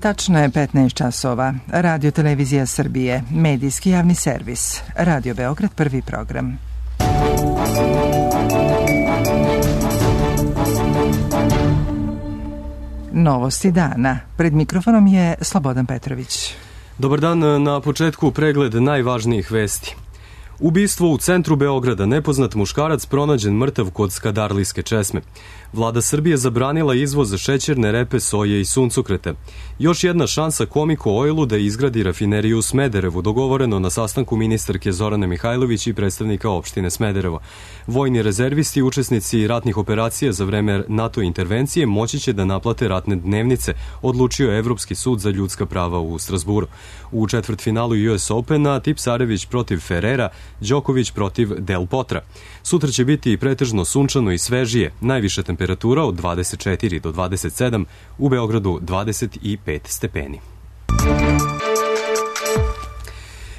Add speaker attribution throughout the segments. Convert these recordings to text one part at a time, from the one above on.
Speaker 1: Tačno je 15 časova. Radio Televizija Srbije, medijski javni servis. Radio Beograd, prvi program. Novosti dana. Pred mikrofonom je Slobodan Petrović.
Speaker 2: Dobar dan, na početku pregled najvažnijih vesti. Ubistvo u centru Beograda, nepoznat muškarac pronađen mrtav kod Skadarlijske česme. Vlada Srbije zabranila izvoz šećerne repe, soje i suncokreta. Još jedna šansa Komiko Oilu da izgradi rafineriju u Smederevu, dogovoreno na sastanku ministarke Zorane Mihajlović i predstavnika opštine Smederevo. Vojni rezervisti i učesnici ratnih operacija za vreme NATO intervencije moći će da naplate ratne dnevnice, odlučio je Evropski sud za ljudska prava u Strasburu. U četvrtfinalu US Opena Tipsarević protiv Ferrera, Đoković protiv Del Potra. Sutra će biti pretežno sunčano i svežije, najviša temperatura od 24 do 27, u Beogradu 25 stepeni.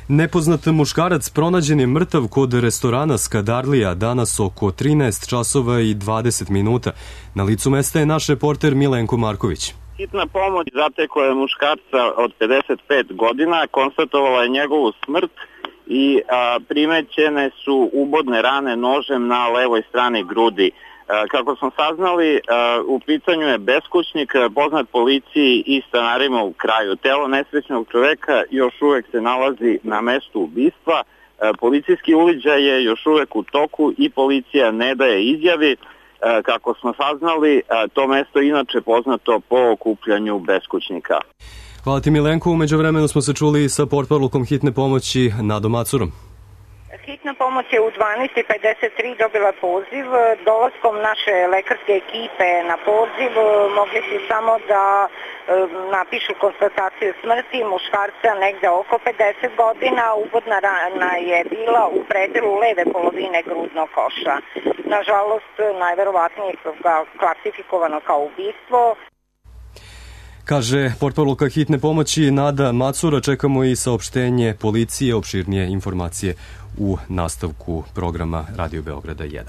Speaker 2: Nepoznat muškarac pronađen je mrtav kod restorana Skadarlija danas oko 13 časova i 20 minuta. Na licu mesta je naš reporter Milenko Marković.
Speaker 3: Hitna pomoć zatekla je muškarca od 55 godina, konstatovala je njegovu smrt i primećene su ubodne rane nožem na levoj strani grudi. Kako smo saznali, u pitanju je beskućnik, poznat policiji i stanarima u kraju. Telo nesrećnog čoveka još uvek se nalazi na mestu ubistva. Policijski uviđaj je još uvek u toku i policija ne daje izjavi. Kako smo saznali, to mesto je inače poznato po okupljanju beskućnika.
Speaker 2: Hvala ti Milenko, umeđu vremenu smo se čuli sa portparolkom hitne pomoći Nadom Macurom.
Speaker 4: Hitna pomoć je u 12:53 dobila poziv. Dolaskom naše lekarske ekipe na poziv mogli su samo da napišu konstataciju smrti muškarca negde oko 50 godina. Ubodna rana je bila u predelu leve polovine grudnog koša. Nažalost, najverovatnije je klasifikovano kao ubistvo.
Speaker 2: Kaže portparolka hitne pomoći Nada Macura. Čekamo i saopštenje policije, opširnije informacije u nastavku programa Radio Beograda 1.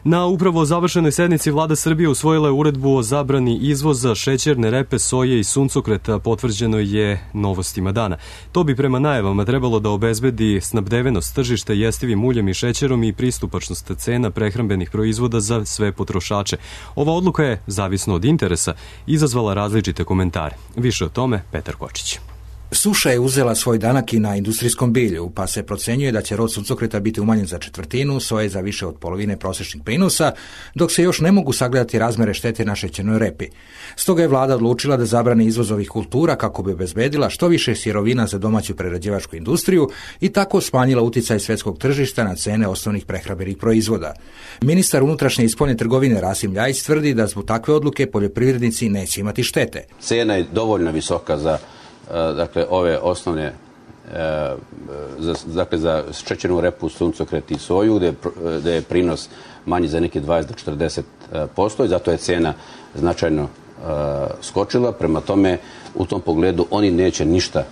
Speaker 2: Na upravo završenoj sednici Vlada Srbije usvojila je uredbu o zabrani izvoza šećerne repe, soje i suncokreta, potvrđeno je Novostima dana. To bi prema najavama trebalo da obezbedi snabdevenost tržišta jestivim uljem i šećerom i pristupačnost cena prehrambenih proizvoda za sve potrošače. Ova odluka je, zavisno od interesa, izazvala različite komentare. Više o tome Petar Kočić.
Speaker 5: Suša je uzela svoj danak i na industrijskom bilju, pa se procenjuje da će rod suncokreta biti umanjen za četvrtinu, soje za više od polovine prosječnih prinosa, dok se još ne mogu sagledati razmere štete na šećernoj repi. Stoga je vlada odlučila da zabrani izvoz ovih kultura kako bi obezbedila što više sirovina za domaću prerađivačku industriju i tako smanjila uticaj svetskog tržišta na cene osnovnih prehrambenih proizvoda. Ministar unutrašnje i spoljne trgovine Rasim Ljajić tvrdi da zbog takve odluke poljoprivrednici neće imati štete.
Speaker 6: Cena je dovoljno visoka za ove osnovne, za šećernu repu, suncokret i soju, gde je prinos manji za neki 20 do 40% i zato je cena značajno skočila. Prema tome, u tom pogledu oni neće ništa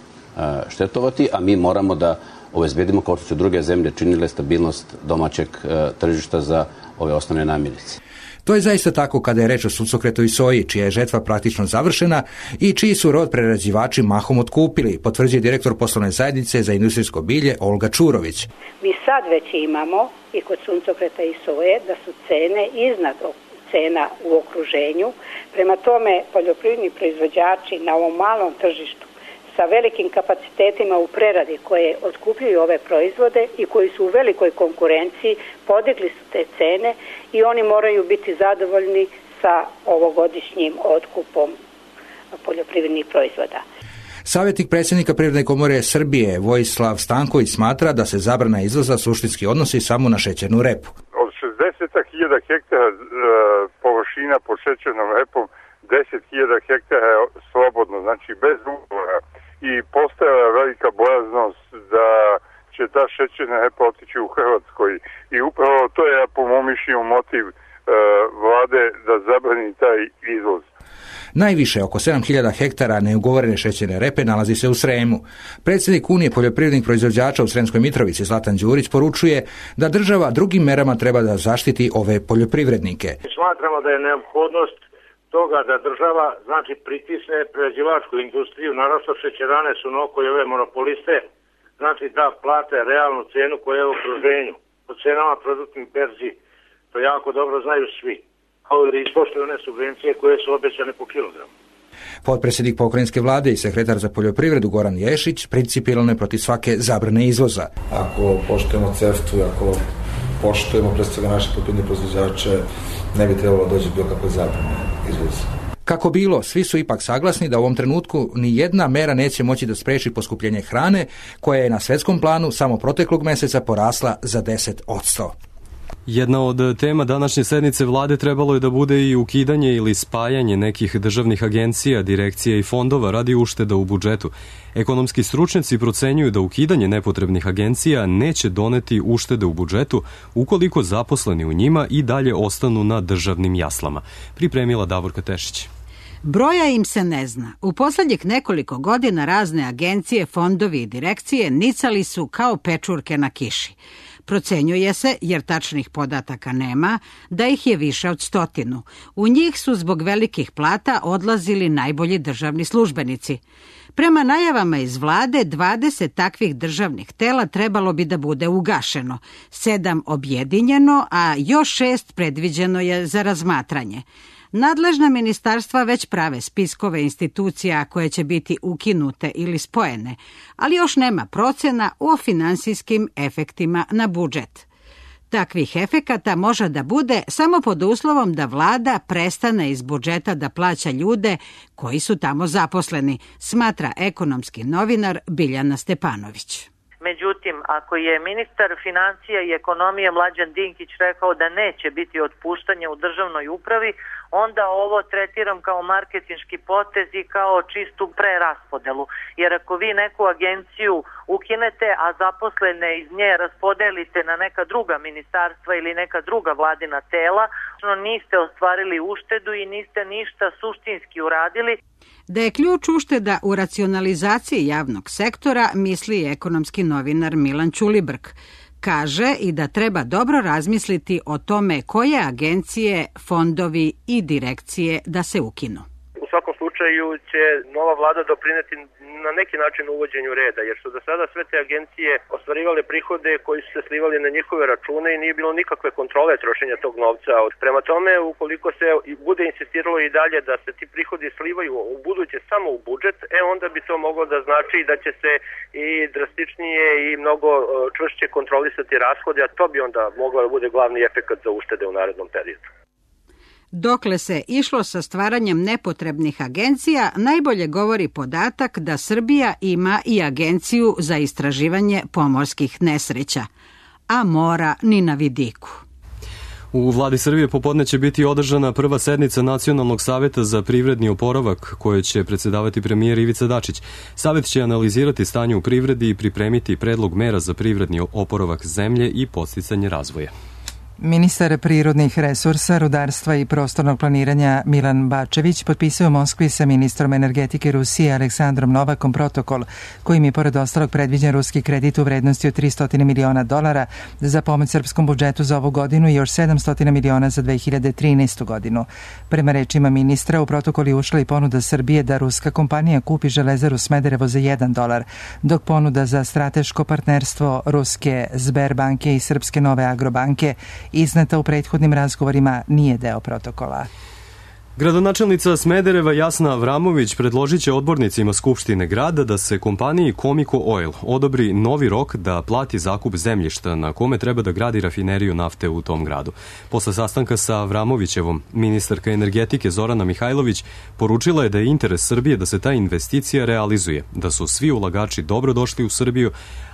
Speaker 6: štetovati, a mi moramo da obezbedimo, kao što su druge zemlje činile, stabilnost domaćeg tržišta za ove osnovne namirnice.
Speaker 5: To je zaista tako kada je reč o suncokretu i soji, čija je žetva praktično završena i čiji su rod prerađivači mahom otkupili, potvrđuje direktor poslovne zajednice za industrijsko bilje Olga Čurović.
Speaker 7: Mi sad već imamo i kod suncokreta i soje da su cene iznad cena u okruženju. Prema tome, poljoprivredni proizvođači na ovom malom tržištu sa velikim kapacitetima u preradi koje otkupljuju ove proizvode i koji su u velikoj konkurenciji, podigli su te cene i oni moraju biti zadovoljni sa ovogodišnjim otkupom poljoprivrednih proizvoda.
Speaker 5: Savjetnik predsjednika Privredne komore Srbije Vojislav Stanković smatra da se zabrana izvoza suštinski odnosi samo na šećernu repu.
Speaker 8: Od 60.000 hektara površina pod šećernom repom 10.000 hektara je slobodno, znači bez ugovora. I postojala velika bojaznost da će ta šećerna repa otići u Hrvatskoj. I upravo to je, po mom mišljenju, motiv vlade da zabrani taj izvoz.
Speaker 5: Najviše, oko 7.000 hektara neugovorene šećerne repe nalazi se u Sremu. Predsjednik Unije poljoprivrednih proizvođača u Sremskoj Mitrovici Zlatan Đurić poručuje da država drugim merama treba da zaštiti ove poljoprivrednike.
Speaker 9: Smatramo da je neophodnost toga da država znači pritisne prerađivačku industriju, naravno šećerane su noko i ove monopoliste, znači da plate realnu cenu koja je u okruženju. Po cenama produktnih berzi to jako dobro znaju svi. Kao da ispoštuju one subvencije koje su obećane po kilogramu.
Speaker 5: Potpredsjednik pokrajinske vlade i sekretar za poljoprivredu Goran Ješić principijelno je protiv svake zabrane izvoza.
Speaker 10: Ako poštujemo CEFTA-u, ako poštujemo pre svega naše poljoprivredne proizvođače, ne bi trebalo doći bilo kakve zabrane izvoza.
Speaker 5: Kako bilo, svi su ipak saglasni da u ovom trenutku ni jedna mera neće moći da spreči poskupljenje hrane, koja je na svetskom planu samo proteklog meseca porasla za 10%.
Speaker 2: Jedna od tema današnje sednice vlade trebalo je da bude i ukidanje ili spajanje nekih državnih agencija, direkcija i fondova radi ušteda u budžetu. Ekonomski stručnjaci procenjuju da ukidanje nepotrebnih agencija neće doneti uštede u budžetu ukoliko zaposleni u njima i dalje ostanu na državnim jaslama. Pripremila Davorka Tešić.
Speaker 11: Broja im se ne zna. U posljednjih nekoliko godina razne agencije, fondovi i direkcije nicali su kao pečurke na kiši. Procenjuje se, jer tačnih podataka nema, da ih je više od 100. U njih su zbog velikih plata odlazili najbolji državni službenici. Prema najavama iz vlade, 20 takvih državnih tela trebalo bi da bude ugašeno, 7 objedinjeno, a još 6 predviđeno je za razmatranje. Nadležna ministarstva već prave spiskove institucija koje će biti ukinute ili spojene, ali još nema procena o finansijskim efektima na budžet. Takvih efekata može da bude samo pod uslovom da vlada prestane iz budžeta da plaća ljude koji su tamo zaposleni, smatra ekonomski novinar Biljana Stepanović.
Speaker 12: Međutim, ako je ministar financija i ekonomije Mlađan Dinkić rekao da neće biti otpuštanja u državnoj upravi, onda ovo tretiram kao marketinški potez i kao čistu preraspodelu. Jer ako vi neku agenciju ukinete, a zaposlene iz nje raspodelite na neka druga ministarstva ili neka druga vladina tela, niste ostvarili uštedu i niste ništa suštinski uradili.
Speaker 11: Da je ključ ušteda u racionalizaciji javnog sektora, misli ekonomski novinar Milan Ćulibrk. Kaže i da treba dobro razmisliti o tome koje agencije, fondovi i direkcije da se ukinu.
Speaker 13: U svakom slučaju će nova vlada doprineti na neki način uvođenju reda, jer su do sada sve te agencije ostvarivale prihode koji su se slivali na njihove račune i nije bilo nikakve kontrole trošenja tog novca. Prema tome, ukoliko se bude insistiralo i dalje da se ti prihodi slivaju u buduće samo u budžet, onda bi to moglo da znači da će se i drastičnije i mnogo čvršće kontrolisati rashode, a to bi onda moglo da bude glavni efekat za uštede u narednom periodu.
Speaker 11: Dokle se išlo sa stvaranjem nepotrebnih agencija, najbolje govori podatak da Srbija ima i agenciju za istraživanje pomorskih nesreća, a mora ni na vidiku.
Speaker 2: U vladi Srbije popodne će biti održana prva sednica Nacionalnog saveta za privredni oporavak, koje će predsedavati premijer Ivica Dačić. Savet će analizirati stanje u privredi i pripremiti predlog mera za privredni oporavak zemlje i podsticanje razvoja.
Speaker 1: Ministar prirodnih resursa, rudarstva i prostornog planiranja Milan Bačević potpisao u Moskvi sa ministrom energetike Rusije Aleksandrom Novakom protokol, kojim je pored ostalog predviđen ruski kredit u vrednosti od $300 miliona za pomoć srpskom budžetu za ovu godinu i još $700 miliona za 2013. godinu. Prema rečima ministra, u protokol je ušla i ponuda Srbije da ruska kompanija kupi železaru Smederevo za $1, dok ponuda za strateško partnerstvo ruske Sberbanke i srpske Nove Agrobanke izneta u prethodnim razgovorima nije deo protokola.
Speaker 2: Gradonačelnica Smedereva Jasna Avramović predložit će odbornicima Skupštine grada da se kompaniji Comico Oil odobri novi rok da plati zakup zemljišta na kome treba da gradi rafineriju nafte u tom gradu. Posle sastanka sa Avramovićevom, ministarka energetike Zorana Mihajlović poručila je da je interes Srbije da se ta investicija realizuje, da su svi ulagači dobro došli u Srbiju,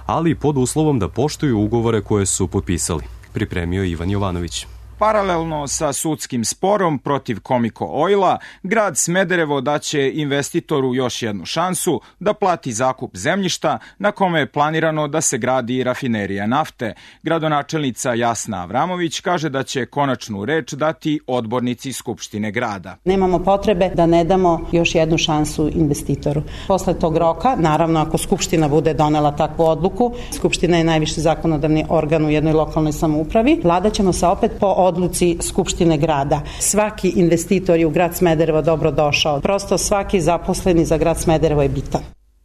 Speaker 2: ali pod uslovom da poštuju ugovore koje su potpisali. Pripremio Ivan Jovanović.
Speaker 14: Paralelno sa sudskim sporom protiv Comico Oila, grad Smederevo daće investitoru još jednu šansu da plati zakup zemljišta na kome je planirano da se gradi rafinerija nafte. Gradonačelnica Jasna Avramović kaže da će konačnu reč dati odbornici Skupštine grada.
Speaker 15: Nemamo potrebe da ne damo još jednu šansu investitoru. Posle tog roka, naravno ako Skupština bude donela takvu odluku, Skupština je najviši zakonodavni organ u jednoj lokalnoj samoupravi, vlada ćemo se opet po odluci Skupštine grada. Svaki investitor je u grad Smederevo dobro došao. Prosto svaki zaposleni za grad Smederevo je bitan.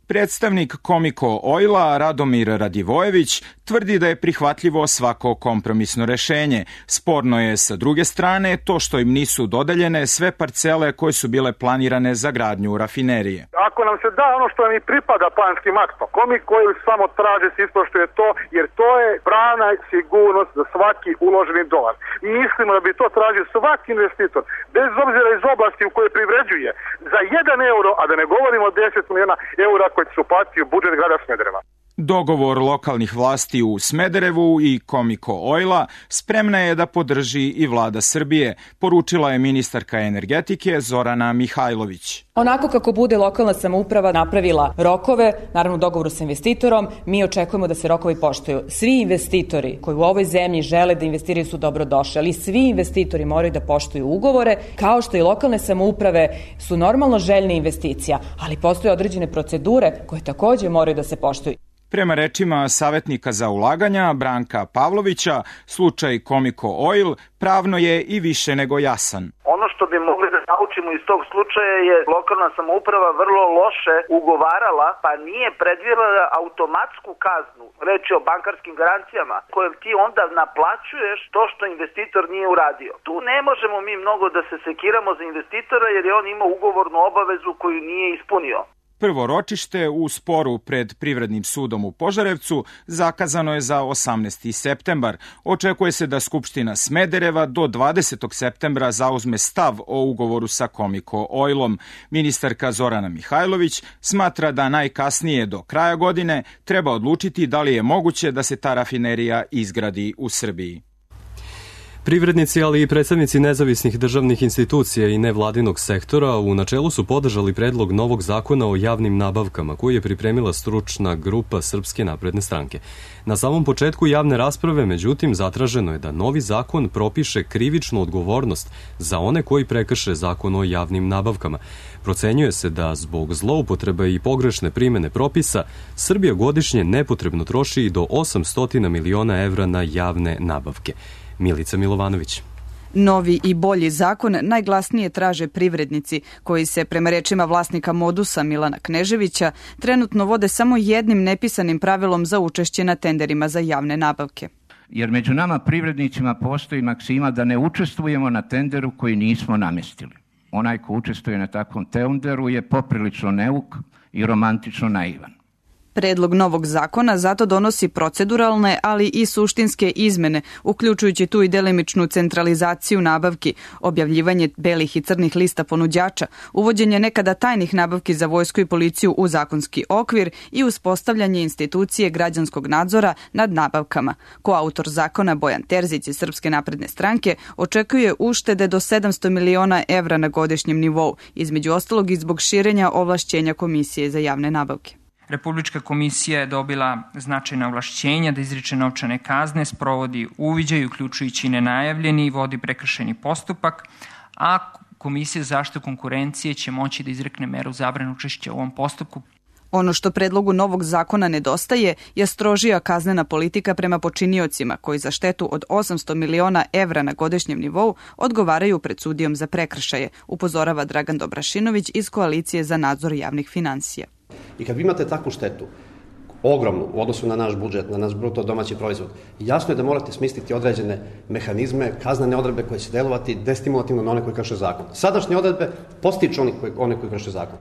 Speaker 14: Predstavnik Komiko Oila Radomir Radivojević tvrdi da je prihvatljivo svako kompromisno rešenje. Sporno je sa druge strane to što im nisu dodeljene sve parcele koje su bile planirane za gradnju rafinerije.
Speaker 16: Ako nam se da ono što nam i pripada planskim aktom, Komiko Oil samo traže se ispoštuje to, jer to je pravna sigurnost za svaki uloženi dolar. Mislimo da bi to tražio svaki investitor, bez obzira iz oblasti u kojoj privređuje, za 1 euro, a da ne govorimo o 10 miliona eura koji će uplatiti u budžet grada Smedereva.
Speaker 14: Dogovor lokalnih vlasti u Smederevu i Komiko Oila spremna je da podrži i vlada Srbije, poručila je ministarka energetike Zorana Mihajlović.
Speaker 17: Onako kako bude lokalna samouprava napravila rokove, naravno u dogovoru sa investitorom, mi očekujemo da se rokovi poštuju. Svi investitori koji u ovoj zemlji žele da investiraju su dobrodošli, ali svi investitori moraju da poštuju ugovore, kao što i lokalne samouprave su normalno željne investicija, ali postoje određene procedure koje takođe moraju da se poštuju.
Speaker 14: Prema rečima savjetnika za ulaganja Branka Pavlovića, slučaj Komiko Oil pravno je i više nego jasan.
Speaker 18: Ono što bi mogli da naučimo iz tog slučaja je lokalna samouprava vrlo loše ugovarala, pa nije predvidela automatsku kaznu, reč je o bankarskim garancijama, kojom ti onda naplaćuješ to što investitor nije uradio. Tu ne možemo mi mnogo da se sekiramo za investitora jer je on imao ugovornu obavezu koju nije ispunio.
Speaker 14: Prvo ročište u sporu pred Privrednim sudom u Požarevcu zakazano je za 18. septembar. Očekuje se da Skupština Smedereva do 20. septembra zauzme stav o ugovoru sa Komiko Oilom. Ministarka Zorana Mihajlović smatra da najkasnije do kraja godine treba odlučiti da li je moguće da se ta rafinerija izgradi u Srbiji.
Speaker 2: Privrednici, ali i predstavnici nezavisnih državnih institucija i nevladinog sektora u načelu su podržali predlog novog zakona o javnim nabavkama koji je pripremila stručna grupa Srpske napredne stranke. Na samom početku javne rasprave, međutim, zatraženo je da novi zakon propiše krivičnu odgovornost za one koji prekrše zakon o javnim nabavkama. Procenjuje se da zbog zloupotrebe i pogrešne primene propisa Srbija godišnje nepotrebno troši i do 800 miliona evra na javne nabavke. Milica Milovanović.
Speaker 19: Novi i bolji zakon najglasnije traže privrednici, koji se, prema rečima vlasnika Modusa Milana Kneževića, trenutno vode samo jednim nepisanim pravilom za učešće na tenderima za javne nabavke.
Speaker 20: Jer među nama privrednicima postoji maksima da ne učestvujemo na tenderu koji nismo namestili. Onaj ko učestvuje na takvom tenderu je poprilično neuk i romantično naivan.
Speaker 19: Predlog novog zakona zato donosi proceduralne, ali i suštinske izmene, uključujući tu i delimičnu centralizaciju nabavki, objavljivanje belih i crnih lista ponuđača, uvođenje nekada tajnih nabavki za vojsku i policiju u zakonski okvir i uspostavljanje institucije građanskog nadzora nad nabavkama. Koautor zakona Bojan Terzić iz Srpske napredne stranke očekuje uštede do 700 miliona evra na godišnjem nivou, između ostalog i zbog širenja ovlašćenja Komisije za javne nabavke.
Speaker 21: Republička komisija je dobila značajna ovlašćenja da izriče novčane kazne, sprovodi uviđaj, uključujući nenajavljeni i vodi prekršajni postupak, a Komisija za zaštitu konkurencije će moći da izrekne meru zabrane učešća u ovom postupku.
Speaker 19: Ono što predlogu novog zakona nedostaje je strožija kaznena politika prema počiniocima koji za štetu od 800 miliona evra na godišnjem nivou odgovaraju pred sudijom za prekršaje, upozorava Dragan Dobrašinović iz Koalicije za nadzor javnih finansija.
Speaker 22: I kad vi imate takvu štetu, ogromnu u odnosu na naš budžet, na naš bruto domaći proizvod, jasno je da morate smisliti određene mehanizme, kaznene odredbe koje će delovati destimulativno na one koji krše zakon. Sadašnje odredbe postiču one koji krše zakon.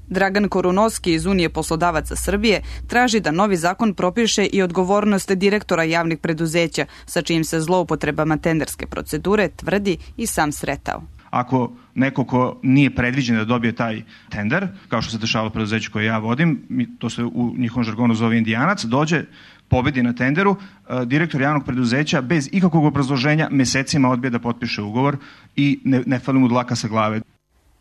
Speaker 19: Dragan Korunovski iz Unije poslodavaca Srbije traži da novi zakon propiše i odgovornost direktora javnih preduzeća, sa čijim se zloupotrebama tenderske procedure tvrdi i sam sretao.
Speaker 23: Ako neko ko nije predviđen da dobije taj tender, kao što se dešavalo preduzeću koje ja vodim, to se u njihovom žargonu zove indijanac, dođe, pobedi na tenderu, direktor javnog preduzeća bez ikakvog obrazloženja mesecima odbije da potpiše ugovor i ne fali mu dlaka sa glave.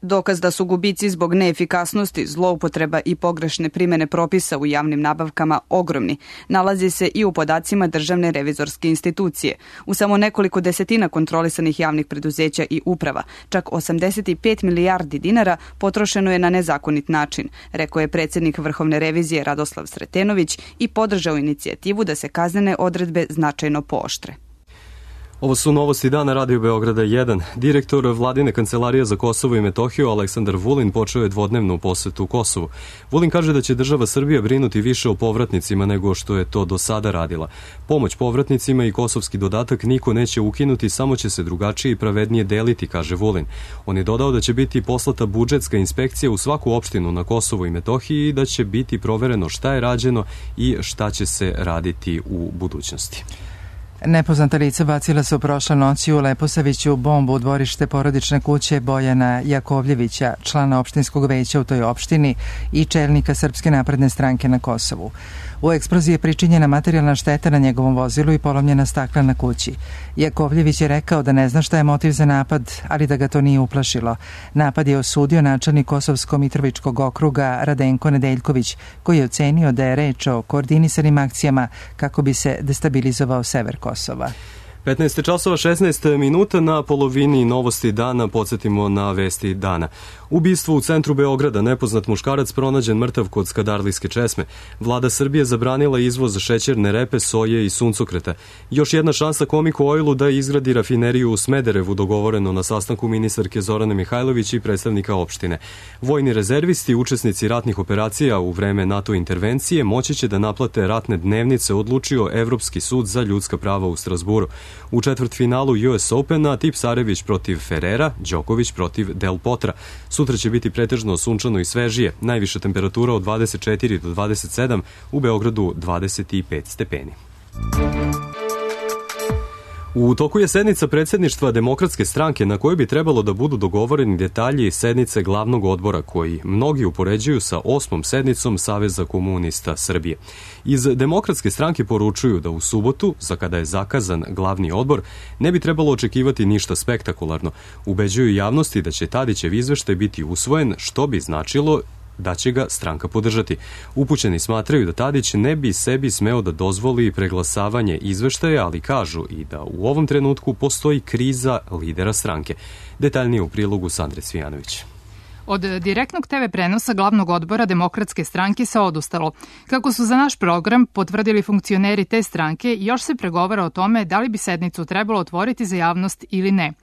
Speaker 19: Dokaz da su gubici zbog neefikasnosti, zloupotreba i pogrešne primene propisa u javnim nabavkama ogromni, nalazi se i u podacima Državne revizorske institucije. U samo nekoliko desetina kontrolisanih javnih preduzeća i uprava, čak 85 milijardi dinara potrošeno je na nezakonit način, rekao je predsjednik Vrhovne revizije Radoslav Sretenović i podržao inicijativu da se kaznene odredbe značajno pooštre.
Speaker 2: Ovo su novosti dana Radio Beograda 1. Direktor Vladine kancelarije za Kosovo i Metohiju Aleksandar Vulin počeo je dvodnevnu posetu Kosovu. Vulin kaže da će država Srbija brinuti više o povratnicima nego što je to do sada radila. Pomoć povratnicima i kosovski dodatak niko neće ukinuti, samo će se drugačije i pravednije deliti, kaže Vulin. On je dodao da će biti poslata budžetska inspekcija u svaku opštinu na Kosovu i Metohiji i da će biti provereno šta je rađeno i šta će se raditi u budućnosti.
Speaker 1: Nepoznata lica bacila su prošle noći u Leposaviću bombu u dvorište porodične kuće Bojana Jakovljevića, člana opštinskog veća u toj opštini i čelnika Srpske napredne stranke na Kosovu. U eksploziji je pričinjena materijalna šteta na njegovom vozilu i polomljena stakla na kući. Jakovljević je rekao da ne zna šta je motiv za napad, ali da ga to nije uplašilo. Napad je osudio načelnik Kosovsko-Mitrovičkog okruga Radenko Nedeljković, koji je ocenio da je reč o koordinisanim akcijama kako bi se destabilizovao sever Kosova.
Speaker 2: 15 časova 16 minuta na polovini novosti dana, podsjetimo na vesti dana. Ubistvo u centru Beograda, nepoznat muškarac pronađen mrtav kod Skadarlijske česme. Vlada Srbije zabranila izvoz šećerne repe, soje i suncokreta. Još jedna šansa Comico Oilu da izgradi rafineriju u Smederevu, dogovoreno na sastanku ministarke Zorane Mihajlović i predstavnika opštine. Vojni rezervisti, učesnici ratnih operacija u vreme NATO intervencije, moći će da naplate ratne dnevnice, odlučio Evropski sud za ljudska prava u Strasburu. U četvrtfinalu US Opena Tipsarević protiv Ferrera, Đoković protiv Del Potra. Sutra će biti pretežno sunčano i svežije, najviša temperatura od 24 do 27, u Beogradu 25 stepeni. U toku je sednica predsjedništva Demokratske stranke na kojoj bi trebalo da budu dogovoreni detalji sednice glavnog odbora koji mnogi upoređuju sa 8. sednicom Saveza komunista Srbije. Iz Demokratske stranke poručuju da u subotu, za kada je zakazan glavni odbor, ne bi trebalo očekivati ništa spektakularno. Ubeđuju javnosti da će Tadićev izveštaj biti usvojen, što bi značilo da će ga stranka podržati. Upućeni smatraju da Tadić ne bi sebi smeo da dozvoli preglasavanje izveštaja, ali kažu i da u ovom trenutku postoji kriza lidera stranke. Detaljnije u prilogu Sandre Cvijanović.
Speaker 3: Od direktnog TV prenosa glavnog odbora Demokratske stranke se odustalo. Kako su za naš program potvrdili funkcioneri te stranke, još se pregovara o tome da li bi sednicu trebalo otvoriti za javnost ili ne.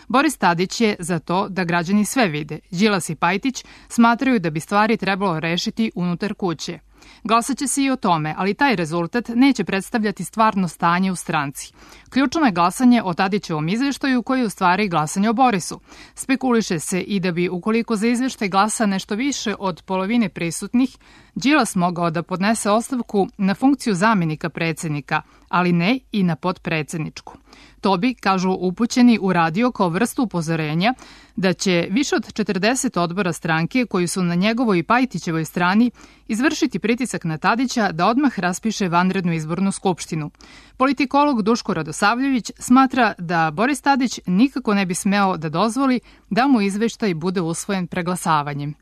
Speaker 3: Boris Tadić je za to da građani sve vide. Đilas i Pajtić smatraju da bi stvari trebalo rešiti unutar kuće. Glasaće se i o tome, ali taj rezultat neće predstavljati stvarno stanje u stranci. Ključno je glasanje o Tadićevom izveštaju koji je u stvari glasanje o Borisu. Spekuliše se i da bi, ukoliko za izveštaj glasa nešto više od polovine prisutnih, Đilas mogao da podnese ostavku na funkciju zamenika predsjednika, ali ne i na potpredsjedničku. To bi, kažu upućeni, uradio kao vrstu upozorenja da će više od 40 odbora stranke koji su na njegovoj i Pajtićevoj strani izvršiti pritisak na Tadića da odmah raspiše vanrednu izbornu skupštinu. Politikolog Duško Radosavljević smatra da Boris Tadić nikako ne bi smeo da dozvoli da mu izveštaj bude usvojen preglasavanjem.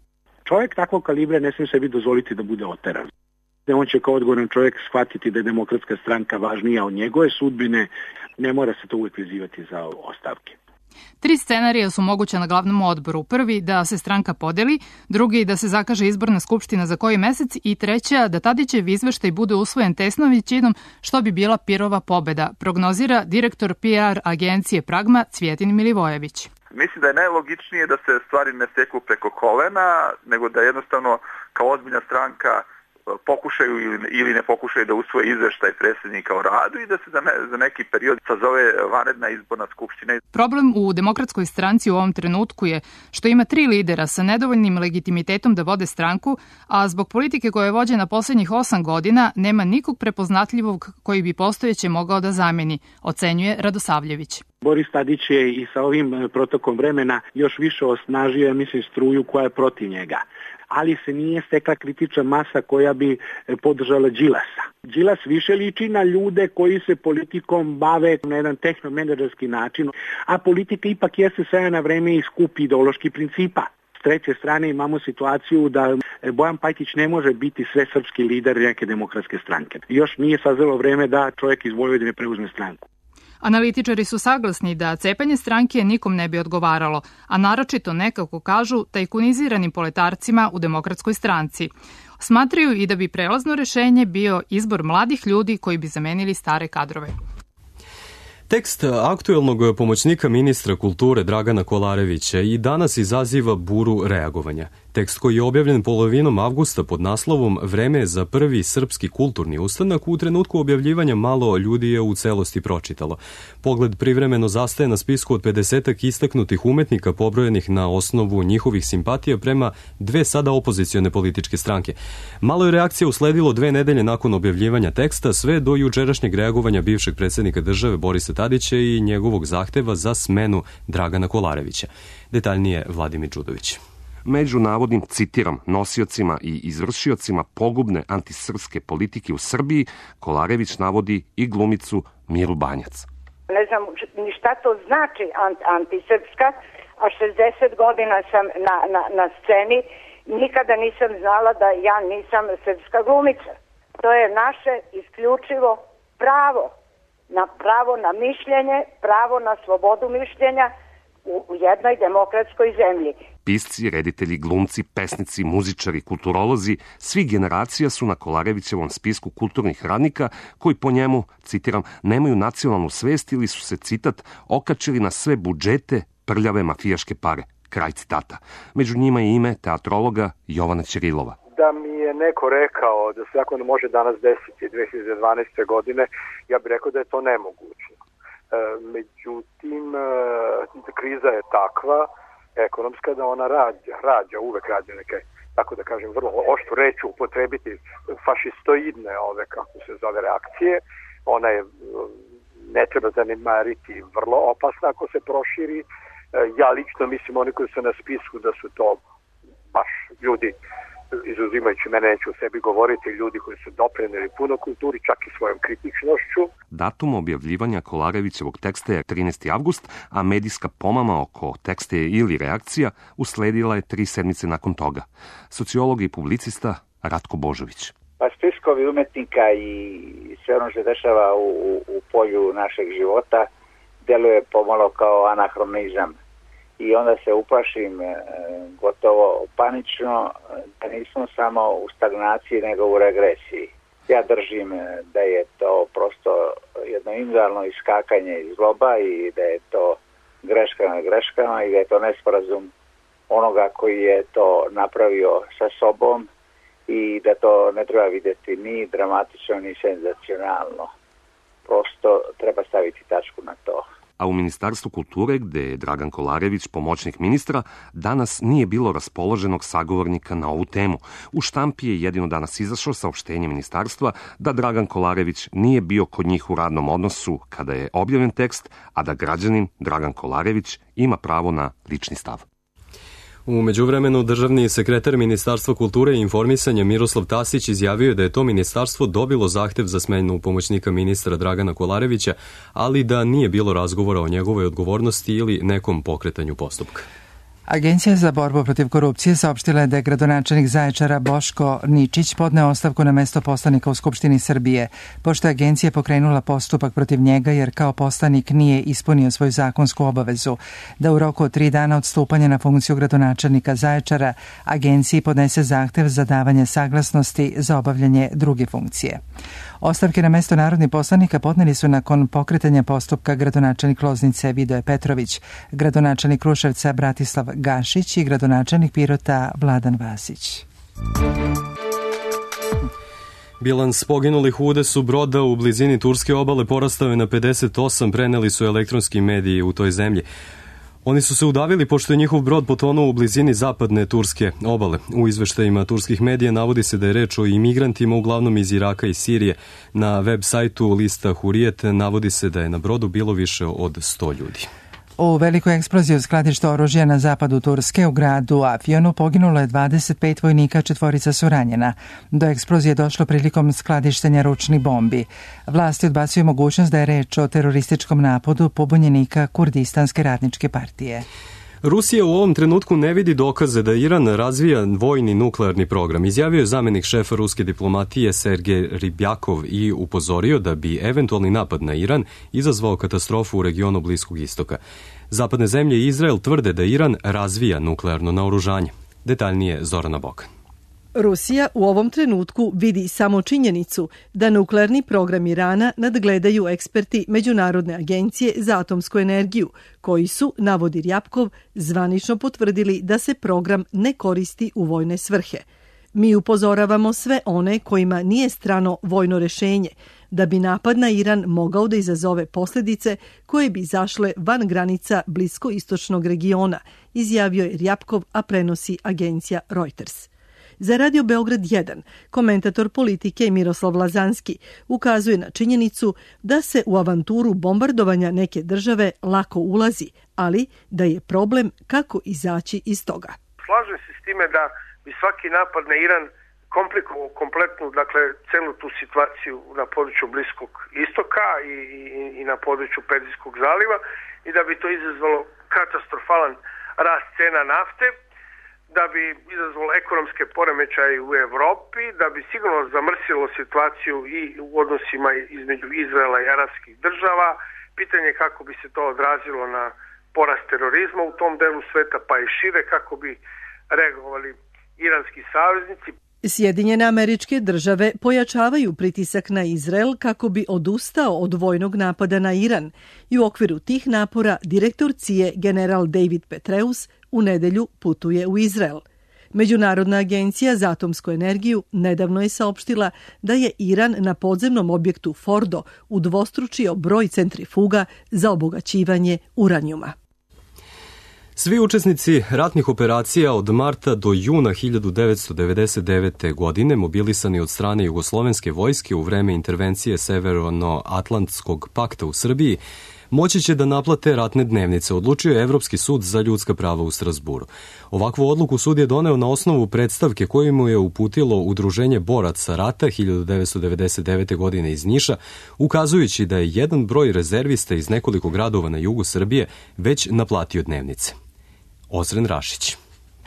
Speaker 4: Čovjek takvog kalibra ne smije sebi dozvoliti da bude oteran. On će kao odgovoran čovjek shvatiti da je Demokratska stranka važnija od njegove sudbine, ne mora se to uvijek vezivati za ostavke.
Speaker 3: 3 scenarija su moguća na glavnom odboru. Prvi, da se stranka podeli, drugi, da se zakaže izborna skupština za koji mesec i treća, da Tadićev izveštaj bude usvojen tesnom većinom, što bi bila pirova pobeda, prognozira direktor PR agencije Pragma Cvjetin Milivojević.
Speaker 6: Mislim da je najlogičnije da se stvari ne steku preko kolena, nego da jednostavno kao ozbiljna stranka pokušaju ili ne pokušaju da usvoje izveštaj predsjednika o radu i da se za neki period sazove vanredna izborna skupština.
Speaker 3: Problem u Demokratskoj stranci u ovom trenutku je što ima 3 lidera sa nedovoljnim legitimitetom da vode stranku, a zbog politike koja je vođena posljednjih 8 godina nema nikog prepoznatljivog koji bi postojeće mogao da zameni, ocenjuje Radosavljević.
Speaker 4: Boris Tadić je i sa ovim protokom vremena još više osnažio, mislim, struju koja je protiv njega. Ali se nije stekla kritična masa koja bi podržala Đilasa. Đilas više liči na ljude koji se politikom bave na jedan tehnomenadžerski način, a politika ipak jeste sve na vreme i skup ideoloških principa. S treće strane imamo situaciju da Bojan Pajtić ne može biti svesrpski lider neke demokratske stranke. Još nije sazrelo vreme da čovjek iz Vojvodine preuzme stranku.
Speaker 3: Analitičari su saglasni da cepanje stranke nikom ne bi odgovaralo, a naročito nekako kažu tajkuniziranim poletarcima u Demokratskoj stranci. Smatraju i da bi prelazno rešenje bio izbor mladih ljudi koji bi zamenili stare kadrove.
Speaker 2: Tekst aktuelnog pomoćnika ministra kulture Dragana Kolarevića i danas izaziva buru reagovanja. Tekst koji je objavljen polovinom avgusta pod naslovom Vreme je za prvi srpski kulturni ustanak, u trenutku objavljivanja malo ljudi je u celosti pročitalo. Pogled privremeno zastaje na spisku od 50 istaknutih umetnika pobrojenih na osnovu njihovih simpatija prema dve sada opozicione političke stranke. Malo je reakcija usledilo 2 nedelje nakon objavljivanja teksta, sve do jučerašnjeg reagovanja bivšeg predsjednika države Borisa Tadića i njegovog zahteva za smenu Dragana Kolarevića. Detaljnije Vladimir Đudović.
Speaker 7: Među navodnim, citiram, nosiocima i izvršiocima pogubne antisrpske politike u Srbiji, Kolarević navodi i glumicu Miru Banjac.
Speaker 8: Ne znam ni šta to znači antisrpska, a 60 godina sam na sceni, nikada nisam znala da ja nisam srpska glumica. To je naše isključivo pravo na mišljenje, pravo na slobodu mišljenja u jednoj demokratskoj zemlji.
Speaker 7: Pisci, reditelji, glumci, pesnici, muzičari, kulturolozi, svi generacija su na Kolarevićevom spisku kulturnih radnika koji po njemu, citiram, nemaju nacionalnu svest ili su se, citat, okačili na sve budžete prljave mafijaške pare. Kraj citata. Među njima je ime teatrologa Jovana Ćirilova.
Speaker 9: Da mi je neko rekao da se ako ne može danas desiti 2012. godine, ja bih rekao da je to nemoguće. Međutim, kriza je takva, ekonomska, da ona uvek rađa neke, tako da kažem, vrlo oštru reč upotrebiti, fašistoidne kako se zove, reakcije. Ona je, ne treba zanemariti, vrlo opasna ako se proširi. Ja lično mislim, oni koji su na spisku, da su to baš ljudi, izuzimajući mene, neću o sebi govoriti, ljudi koji su doprineli puno kulturi, čak i svojom kritičnošću.
Speaker 7: Datum objavljivanja Kolarevićevog teksta je 13. avgust, a medijska pomama oko teksta ili reakcija usledila je 3 sedmice nakon toga. Sociolog i publicista Ratko Božović.
Speaker 24: Pa spiskovi umetnika i sve ono što se dešava u polju našeg života deluje pomalo kao anahronizam. I onda se uplašim gotovo panično da nismo samo u stagnaciji nego u regresiji. Ja držim da je to prosto jedno individualno iskakanje iz zloba i da je to greška na greškama i da je to nesporazum onoga koji je to napravio sa sobom i da to ne treba vidjeti ni dramatično ni senzacionalno. Prosto treba staviti tačku na to.
Speaker 7: A u Ministarstvu kulture, gde je Dragan Kolarević pomoćnik ministra, danas nije bilo raspoloženog sagovornika na ovu temu. U štampi je jedino danas izašlo saopštenje ministarstva da Dragan Kolarević nije bio kod njih u radnom odnosu kada je objavljen tekst, a da građanin Dragan Kolarević ima pravo na lični stav.
Speaker 2: U međuvremenu, državni sekretar Ministarstva kulture i informisanja Miroslav Tasić izjavio je da je to ministarstvo dobilo zahtev za smenu pomoćnika ministra Dragana Kolarevića, ali da nije bilo razgovora o njegovoj odgovornosti ili nekom pokretanju postupka.
Speaker 1: Agencija za borbu protiv korupcije saopštila je da je gradonačelnik Zaječara Boško Ničić podneo ostavku na mesto poslanika u Skupštini Srbije, pošto je agencija pokrenula postupak protiv njega jer kao poslanik nije ispunio svoju zakonsku obavezu da u roku od 3 dana od stupanja na funkciju gradonačelnika Zaječara agenciji podnese zahtev za davanje saglasnosti za obavljanje druge funkcije. Ostavke na mesto narodnih poslanika podneli su nakon pokretanja postupka gradonačelnik Loznice Vidoje Petrović, gradonačelnik Kruševca Bratislav Gašić i gradonačelnik Pirota Vladan Vasić.
Speaker 2: Bilans poginulih u udesu broda u blizini turske obale porastao je na 58, preneli su elektronski mediji u toj zemlji. Oni su se udavili pošto je njihov brod potonuo u blizini zapadne turske obale. U izveštajima turskih medija navodi se da je reč o imigrantima uglavnom iz Iraka i Sirije. Na web sajtu lista Hurijet navodi se da je na brodu bilo više od 100 ljudi.
Speaker 1: U velikoj eksploziji u skladištu oružja na zapadu Turske u gradu Afjonu poginulo je 25 vojnika, 4 su ranjena. Do eksplozije je došlo prilikom skladištenja ručnih bombi. Vlasti odbacuju mogućnost da je reč o terorističkom napadu pobunjenika Kurdistanske radničke partije.
Speaker 2: Rusija u ovom trenutku ne vidi dokaze da Iran razvija vojni nuklearni program, izjavio je zamenik šefa ruske diplomatije Sergej Ribjakov i upozorio da bi eventualni napad na Iran izazvao katastrofu u regionu Bliskog istoka. Zapadne zemlje i Izrael tvrde da Iran razvija nuklearno naoružanje. Detaljnije Zorana Bokan.
Speaker 5: Rusija u ovom trenutku vidi samo činjenicu da nuklearni program Irana nadgledaju eksperti Međunarodne agencije za atomsku energiju, koji su, navodi Rjapkov, zvanično potvrdili da se program ne koristi u vojne svrhe. Mi upozoravamo sve one kojima nije strano vojno rešenje, da bi napad na Iran mogao da izazove posljedice koje bi zašle van granica bliskoistočnog regiona, izjavio je Rjapkov, a prenosi agencija Reuters. Za Radio Beograd 1, komentator politike Miroslav Lazanski ukazuje na činjenicu da se u avanturu bombardovanja neke države lako ulazi, ali da je problem kako izaći iz toga.
Speaker 10: Slažem se s time da bi svaki napad na Iran komplikovao kompletnu, celu tu situaciju na području Bliskog istoka i na području Perzijskog zaliva i da bi to izazvalo katastrofalan rast cena nafte, da bi izazvalo ekonomske poremećaje u Evropi, da bi sigurno zamrsilo situaciju i u odnosima između Izraela i arapskih država. Pitanje kako bi se to odrazilo na porast terorizma u tom delu sveta, pa i šire, kako bi reagovali iranski saveznici.
Speaker 5: Sjedinjene Američke Države pojačavaju pritisak na Izrael kako bi odustao od vojnog napada na Iran i u okviru tih napora direktor CIA general David Petraeus u nedelju putuje u Izrael. Međunarodna agencija za atomsku energiju nedavno je saopštila da je Iran na podzemnom objektu Fordo udvostručio broj centrifuga za obogaćivanje uranijuma.
Speaker 2: Svi učesnici ratnih operacija od marta do juna 1999. godine mobilisani od strane jugoslovenske vojske u vreme intervencije Severno-Atlantskog pakta u Srbiji moći će da naplate ratne dnevnice, odlučio je Evropski sud za ljudska prava u Strazburu. Ovakvu odluku sud je doneo na osnovu predstavke koju mu je uputilo Udruženje boraca rata 1999. godine iz Niša, ukazujući da je jedan broj rezervista iz nekoliko gradova na jugu Srbije već naplatio dnevnice. Ozren Rašić.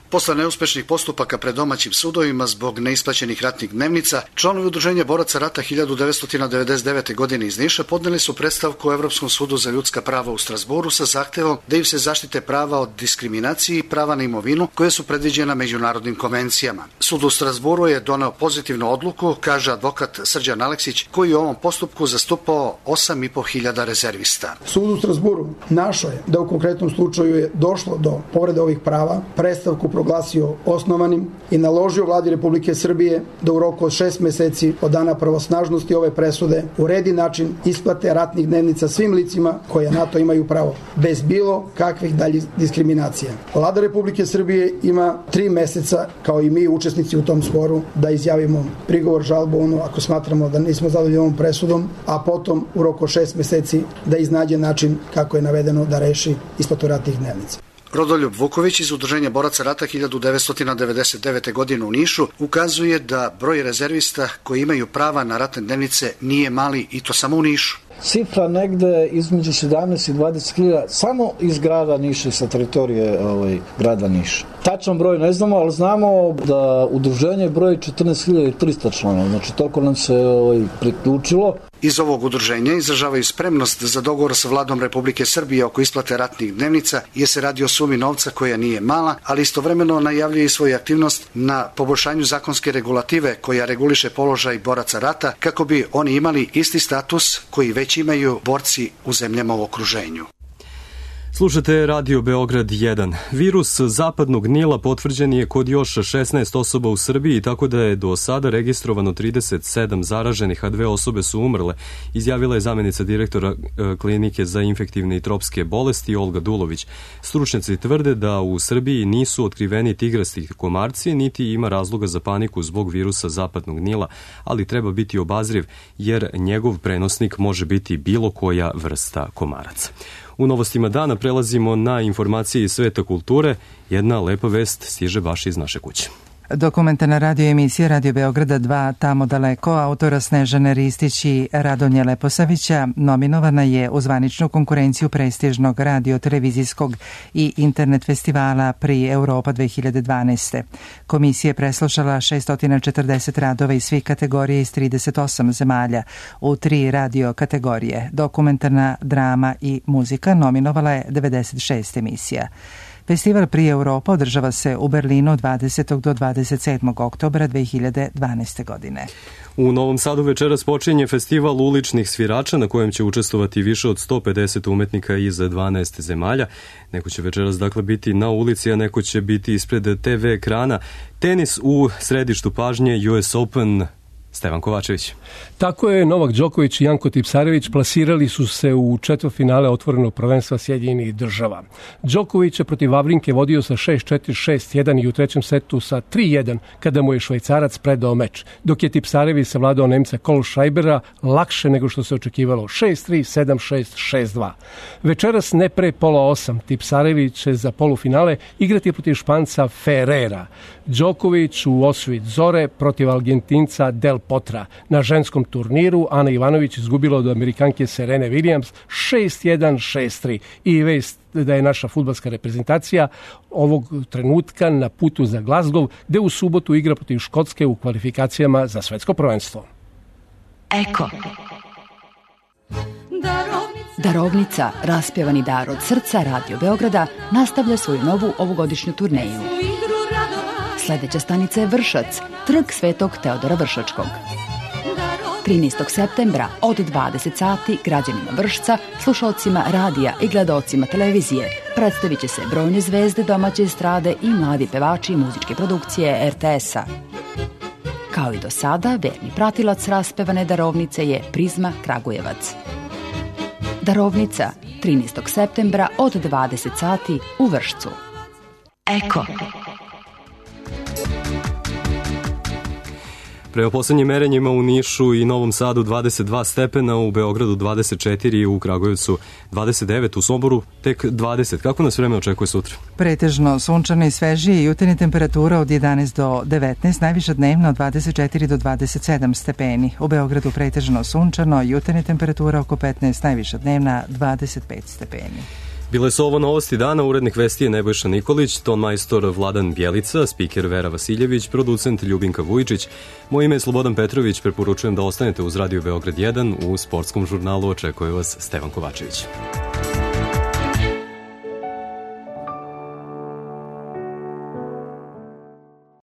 Speaker 12: Posle neuspešnih postupaka pred domaćim sudovima zbog neisplaćenih ratnih dnevnica, članovi Udruženja boraca rata 1999. godine iz Niša podneli su predstavku Evropskom sudu za ljudska prava u Strazburu sa zahtevom da im se zaštite prava od diskriminacije i prava na imovinu koje su predviđena međunarodnim konvencijama. Sud u Strazburu je doneo pozitivnu odluku, kaže advokat Srđan Aleksić, koji je u ovom postupku zastupao 8.500 rezervista.
Speaker 13: Sud u Strazburu našao je da u konkretnom slučaju je došlo do povrede ovih prava, predstavku proglasio osnovanim i naložio vladi Republike Srbije da u roku od 6 meseci od dana pravosnažnosti ove presude uredi način isplate ratnih dnevnica svim licima koje na to imaju pravo, bez bilo kakvih daljih diskriminacija. Vlada Republike Srbije ima 3 meseca, kao i mi učesnici u tom sporu, da izjavimo prigovor, žalbu, ako smatramo da nismo zadovoljni ovom presudom, a potom u roku od 6 meseci da iznađe način kako je navedeno da reši isplatu ratnih dnevnica.
Speaker 12: Rodoljub Vuković iz Udruženja boraca rata 1999. godine u Nišu ukazuje da broj rezervista koji imaju prava na ratne dnevnice nije mali i to samo u Nišu.
Speaker 25: Cifra negde između 17 i 20.000 samo iz grada Niša i sa teritorije grada Niša. Tačan broj ne znamo, ali znamo da udruženje broji 14.300 članova, znači toliko nam se priključilo.
Speaker 12: Iz ovog udruženja izražavaju spremnost za dogovor sa vladom Republike Srbije oko isplate ratnih dnevnica, jer se radi o sumi novca koja nije mala, ali istovremeno najavljuje i svoju aktivnost na poboljšanju zakonske regulative koja reguliše položaj boraca rata kako bi oni imali isti status koji već imaju borci u zemljama u okruženju.
Speaker 2: Slušate Radio Beograd 1. Virus zapadnog Nila potvrđen je kod još 16 osoba u Srbiji, tako da je do sada registrovano 37 zaraženih, a 2 osobe su umrle, izjavila je zamjenica direktora Klinike za infektivne i tropske bolesti Olga Dulović. Stručnjaci tvrde da u Srbiji nisu otkriveni tigrasti komarci, niti ima razloga za paniku zbog virusa zapadnog Nila, ali treba biti obazriv jer njegov prenosnik može biti bilo koja vrsta komaraca. U novostima dana prelazimo na informacije iz sveta kulture. Jedna lepa vest stiže baš iz naše kuće.
Speaker 1: Dokumentarna radio emisija Radio Beograda 2 Tamo daleko autora Snežane Ristić i Radonje Leposavića nominovana je u zvaničnu konkurenciju prestižnog radio-televizijskog i internet festivala Pri Europa 2012. Komisija je preslušala 640 radova iz svih kategorija iz 38 zemalja u 3 radio kategorije. Dokumentarna, drama i muzika nominovala je 96 emisija. Festival Prije Europa održava se u Berlinu od 20. do 27. oktobra 2012. godine.
Speaker 2: U Novom Sadu večeras počinje festival uličnih svirača na kojem će učestvovati više od 150 umetnika iz 12 zemalja. Neko će večeras dakle biti na ulici, a neko će biti ispred TV ekrana. Tenis u središtu pažnje, US Open. Stevan Kovačević.
Speaker 11: Tako je, Novak Đoković i Janko Tipsarević plasirali su se u četvrtfinale otvorenog prvenstva Sjedinjenih Država. Đoković je protiv Vavrinke vodio sa 6-4, 6-1 i u trećem setu sa 3-1 kada mu je Švajcarac predao meč, dok je Tipsarević savladao Nemca Kohlscheibera lakše nego što se očekivalo 6-3, 7-6, 6-2. Večeras ne pre pola 8 Tipsarević će za polufinale igrati protiv Španca Ferrera. Đoković u osvit Zore protiv Argentinca Del Potra. Na ženskom turniru Ana Ivanović izgubila od Amerikanke Serene Williams 6-1, 6-3. I vest da je naša fudbalska reprezentacija ovog trenutka na putu za Glasgow, gde u subotu igra protiv Škotske u kvalifikacijama za svetsko prvenstvo.
Speaker 15: Eko. Darovnica, raspjevani dar od srca Radio Beograda, nastavlja svoju novu ovogodišnju turneju. Sljedeća stanica je Vršac, trg Svetog Teodora Vršačkog. 13. septembra od 20 sati građanima Vršca, slušalcima radija i gledaocima televizije predstavit će se brojne zvezde domaće estrade i mladi pevači i muzičke produkcije RTS-a. Kao i do sada, verni pratilac raspevane darovnice je Prizma Kragujevac. Darovnica, 13. septembra od 20 sati u Vršcu. Eko.
Speaker 2: Prema poslednjim merenjima u Nišu i Novom Sadu 22 stepena, u Beogradu 24, u Kragujevcu 29, u Somboru tek 20. Kako nas vreme očekuje sutra?
Speaker 1: Pretežno sunčano i svežije, jutarnja temperatura od 11 do 19, najviša dnevna od 24 do 27 stepeni. U Beogradu pretežno sunčano, jutarnja temperatura oko 15, najviša dnevna 25 stepeni.
Speaker 2: Bile su ovo novosti dana, urednik vesti je Nebojša Nikolić, ton majstor Vladan Bjelica, spiker Vera Vasiljević, producent Ljubinka Vujičić. Moje ime je Slobodan Petrović, preporučujem da ostanete uz Radio Beograd 1, u sportskom žurnalu očekuje vas Stevan Kovačević.